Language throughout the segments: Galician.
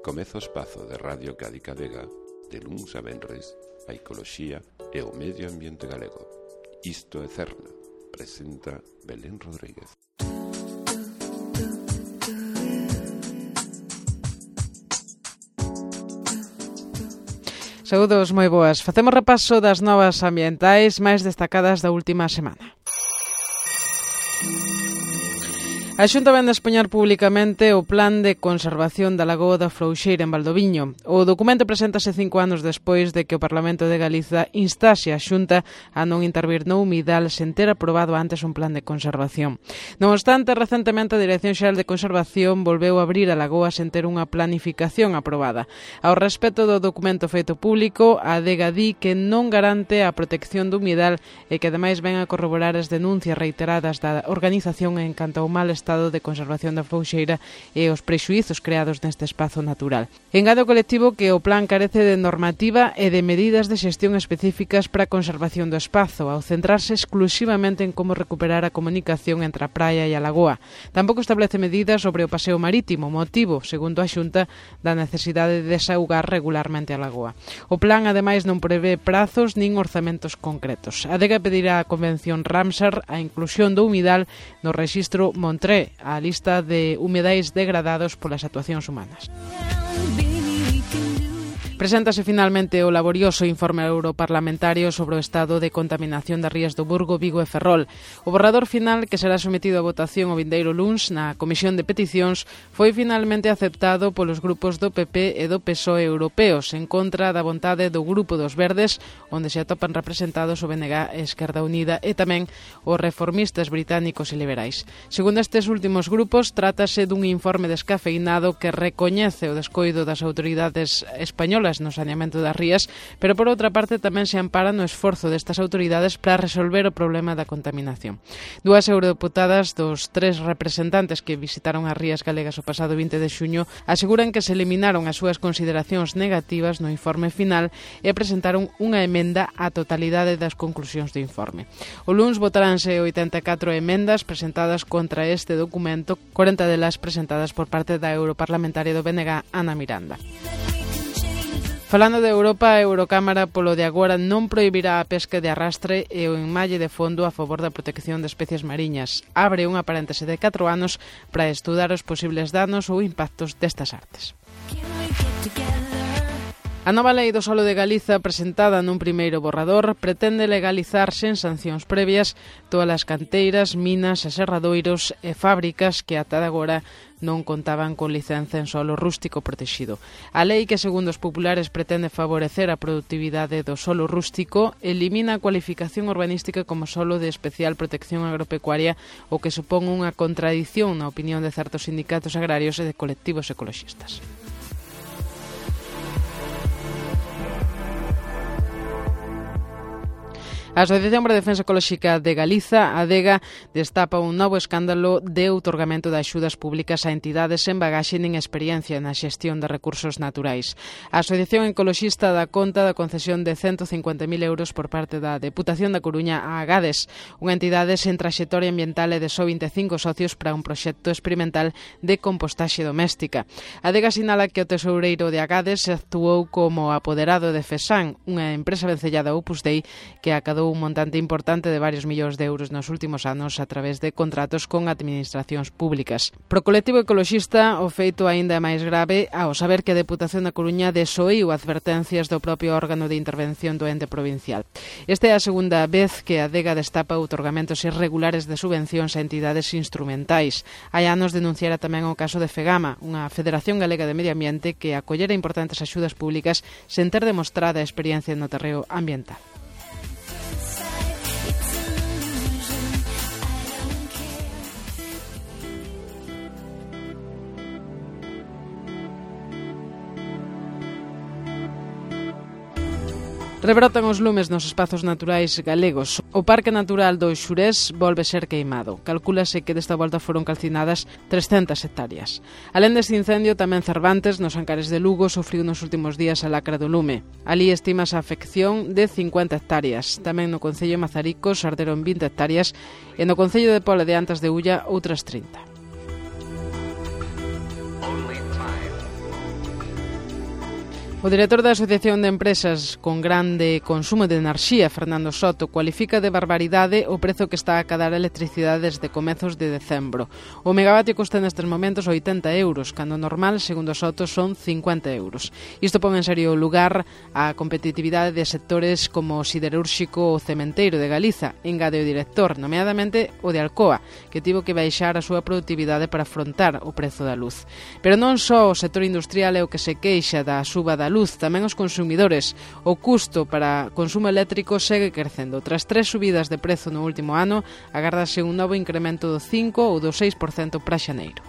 Comeza o espazo de Radio Cádiz Vega, de luns a venres, a ecoloxía e o medio ambiente galego. Isto é Cerna, presenta Belén Rodríguez. Saúdos moi boas. Facemos repaso das novas ambientais máis destacadas da última semana. A Xunta vén de expoñer publicamente o Plan de Conservación da Lagoa da Frouxeira en Valdoviño. O documento preséntase 5 anos despois de que o Parlamento de Galiza instase a Xunta a non intervir no humidal sen ter aprobado antes un plan de conservación. Non obstante, recentemente a Dirección Xeral de Conservación volveu a abrir a lagoa sen ter unha planificación aprobada. Ao respecto do documento feito público, a Adega di que non garante a protección do humidal e que ademais ven a corroborar as denuncias reiteradas da organización en canto ao mal estado de conservación da Frouxeira e os prexuízos creados neste espazo natural. Engade o colectivo que o plan carece de normativa e de medidas de xestión específicas para a conservación do espazo, ao centrarse exclusivamente en como recuperar a comunicación entre a praia e a lagoa. Tampouco establece medidas sobre o paseo marítimo, motivo, segundo a Xunta, da necesidade de desaugar regularmente a lagoa. O plan, ademais, non prevé prazos nin orzamentos concretos. A Adega pedirá á Convención Ramsar a inclusión do humidal no rexistro Montré, a lista de humedais degradados polas actuacións humanas. Preséntase finalmente o laborioso informe europarlamentario sobre o estado de contaminación das rías do Burgo, Vigo e Ferrol. O borrador final, que será sometido a votación o vindeiro luns na Comisión de Peticións, foi finalmente aceptado polos grupos do PP e do PSOE europeos, en contra da vontade do Grupo dos Verdes, onde se atopan representados o BNG e Esquerda Unida, e tamén os reformistas británicos e liberais. Segundo estes últimos grupos, trátase dun informe descafeinado que recoñece o descoido das autoridades españolas no saneamento das rías, pero por outra parte tamén se ampara no esforzo destas autoridades para resolver o problema da contaminación. Dúas eurodeputadas dos 3 representantes que visitaron as rías galegas o pasado 20 de xuño aseguran que se eliminaron as súas consideracións negativas no informe final e presentaron unha emenda á totalidade das conclusións do informe. O luns votaránse 84 emendas presentadas contra este documento, 40 delas presentadas por parte da europarlamentaria do BNG, Ana Miranda. Falando de Europa, a Eurocámara polo de agora non prohibirá a pesca de arrastre e o enmalle de fondo a favor da protección de especies mariñas. Abre unha paréntese de 4 anos para estudar os posibles danos ou impactos destas artes. A nova lei do solo de Galiza, presentada nun primeiro borrador, pretende legalizar sen sancións previas todas as canteiras, minas, aserradoiros e fábricas que ata agora non contaban con licenza en solo rústico protexido. A lei, que segundo os populares pretende favorecer a productividade do solo rústico, elimina a cualificación urbanística como solo de especial protección agropecuaria, o que supón unha contradición na opinión de certos sindicatos agrarios e de colectivos ecoloxistas. A Asociación para a Defensa Ecolóxica de Galiza, a Adega, destapa un novo escándalo de outorgamento de axudas públicas a entidades sen bagaxe nin experiencia na xestión de recursos naturais. A Asociación Ecoloxista dá conta da concesión de 150.000 euros por parte da Deputación da Coruña a Agades, unha entidade sen traxectoria ambiental e de só 25 socios para un proxecto experimental de compostaxe doméstica. A Adega sinala que o tesoureiro de Agades actuou como apoderado de FESAN, unha empresa vencellada a Opus Dei que acadou un montante importante de varios millóns de euros nos últimos anos a través de contratos con administracións públicas. Pro colectivo ecoloxista, o feito aínda é máis grave ao saber que a Deputación da Coruña desoíu advertencias do propio órgano de intervención do ente provincial. Esta é a segunda vez que a Adega destapa outorgamentos irregulares de subvencións a entidades instrumentais. Hai anos denunciara tamén o caso de FEGAMA, unha Federación Galega de Medio Ambiente que acollera importantes axudas públicas sen ter demostrada experiencia no terreo ambiental. Rebrotan os lumes nos espazos naturais galegos. O Parque Natural do Xurés volve ser queimado. Calcúlase que desta volta foron calcinadas 300 hectáreas. Alén deste incendio, tamén Cervantes, nos Ancares de Lugo, sufriu nos últimos días a lacra do lume. Ali estimase a afección de 50 hectáreas. Tamén no Concello de Mazaricos arderon 20 hectáreas e no Concello de Pola de Antas de Ulla outras 30. O director da Asociación de Empresas con Grande Consumo de Enerxía, Fernando Soto, cualifica de barbaridade o prezo que está a cadar a electricidade desde comezos de decembro. O megavatio custa nestes momentos 80 euros, cando normal, segundo Soto, son 50 euros. Isto pon en serio lugar a competitividade de sectores como o siderúrxico ou cementeiro de Galiza, engade o director, nomeadamente o de Alcoa, que tivo que baixar a súa produtividade para afrontar o prezo da luz. Pero non só o sector industrial é o que se queixa da suba da luz, tamén os consumidores. O custo para consumo eléctrico segue crecendo. Tras 3 subidas de prezo no último ano, agárdase un novo incremento do 5 ou do 6% para xaneiro.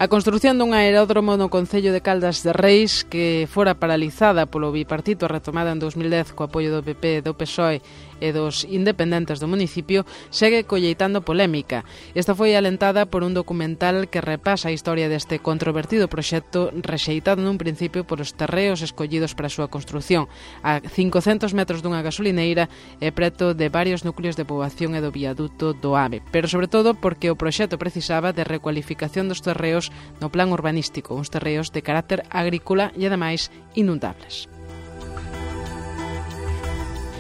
A construción dun aeródromo no Concello de Caldas de Reis, que fora paralizada polo bipartito retomada en 2010 co apoio do PP, do PSOE e dos independentes do municipio, segue colleitando polémica. Esta foi alentada por un documental que repasa a historia deste controvertido proxecto rexeitado nun principio por os terreos escollidos para a súa construción, a 500 metros dunha gasolineira e preto de varios núcleos de poboación e do viaduto do AVE, pero sobre todo porque o proxecto precisaba de recualificación dos terreos no plan urbanístico, uns terreos de carácter agrícola e ademais inundables.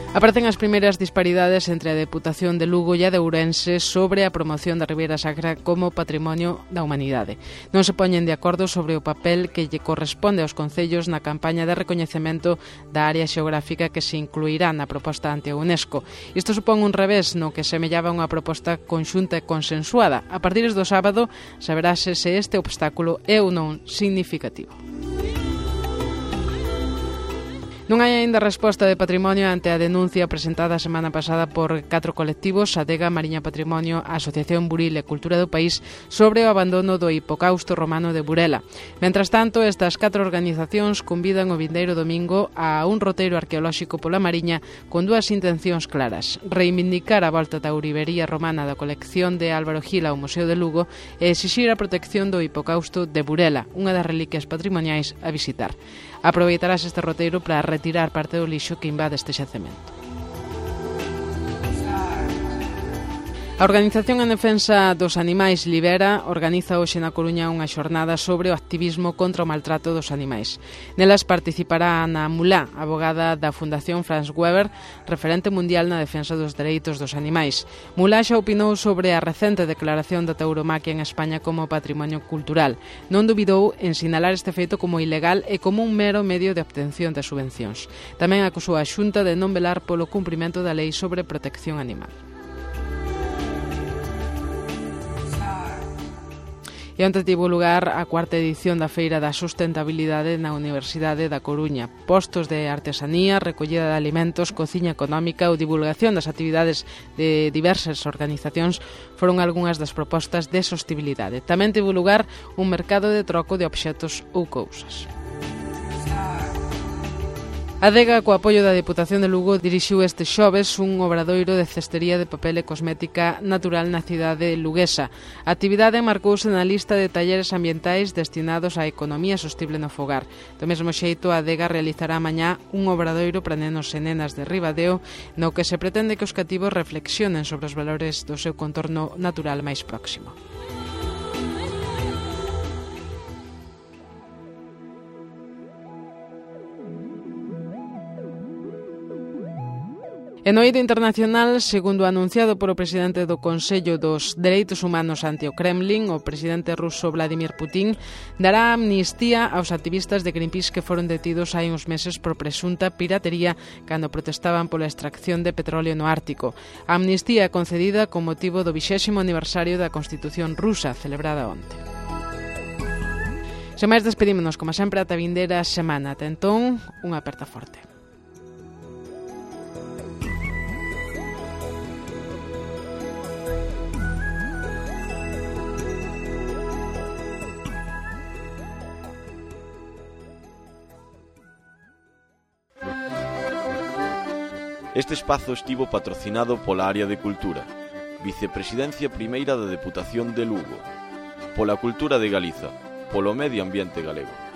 Aparecen as primeiras disparidades entre a Deputación de Lugo e a de Ourense sobre a promoción da Ribeira Sacra como patrimonio da humanidade. Non se poñen de acordo sobre o papel que lle corresponde aos concellos na campaña de recoñecemento da área xeográfica que se incluirá na proposta ante a UNESCO. Isto supón un revés no que semellaba unha proposta conxunta e consensuada. A partir do sábado saberase se este obstáculo é ou non significativo. Non hai aínda resposta de Patrimonio ante a denuncia presentada a semana pasada por 4 colectivos, Adega, Mariña Patrimonio, a Asociación Buril e Cultura do País, sobre o abandono do hipocausto romano de Burela. Mentras tanto, estas 4 organizacións convidan o vindeiro domingo a un roteiro arqueolóxico pola Mariña con 2 intencións claras: reivindicar a volta da ourivería romana da colección de Álvaro Gil ao Museo de Lugo e exixir a protección do hipocausto de Burela, unha das reliquias patrimoniais a visitar. Aproveitarás este roteiro para retirar parte do lixo que invade este xacemento. A Organización en Defensa dos Animais Libera organiza hoxe na Coruña unha xornada sobre o activismo contra o maltrato dos animais. Nelas participará Ana Mulá, abogada da Fundación Franz Weber, referente mundial na defensa dos dereitos dos animais. Mulá xa opinou sobre a recente declaración da tauromaquia en España como patrimonio cultural. Non dubidou en sinalar este feito como ilegal e como un mero medio de obtención de subvencións. Tamén acusou a Xunta de non velar polo cumprimento da lei sobre protección animal. E onte tivo lugar a 4ª edición da Feira da Sustentabilidade na Universidade da Coruña. Postos de artesanía, recollida de alimentos, cociña económica ou divulgación das actividades de diversas organizacións foron algunhas das propostas de sostibilidade. Tamén tivo lugar un mercado de troco de obxetos ou cousas. A Adega, co apoio da Deputación de Lugo, dirixiu este xoves un obradoiro de cestería de papel e cosmética natural na cidade luguesa. A actividade marcouse na lista de talleres ambientais destinados á economía sostible no fogar. Do mesmo xeito, a Adega realizará mañá un obradoiro para nenos e nenas de Ribadeo, no que se pretende que os cativos reflexionen sobre os valores do seu contorno natural máis próximo. E no eido internacional, segundo anunciado polo presidente do Consello dos Dereitos Humanos ante o Kremlin, o presidente ruso Vladimir Putin dará amnistía aos activistas de Greenpeace que foron detidos hai uns meses por presunta piratería cando protestaban pola extracción de petróleo no Ártico. A amnistía concedida con motivo do 20º aniversario da Constitución rusa, celebrada onte. Sen máis, despedímonos, como sempre, ata vindeira semana. Ata entón, unha aperta forte. Este espazo estivo patrocinado pola Área de Cultura, Vicepresidencia Primeira da Deputación de Lugo, pola Cultura de Galiza, polo Medio Ambiente Galego.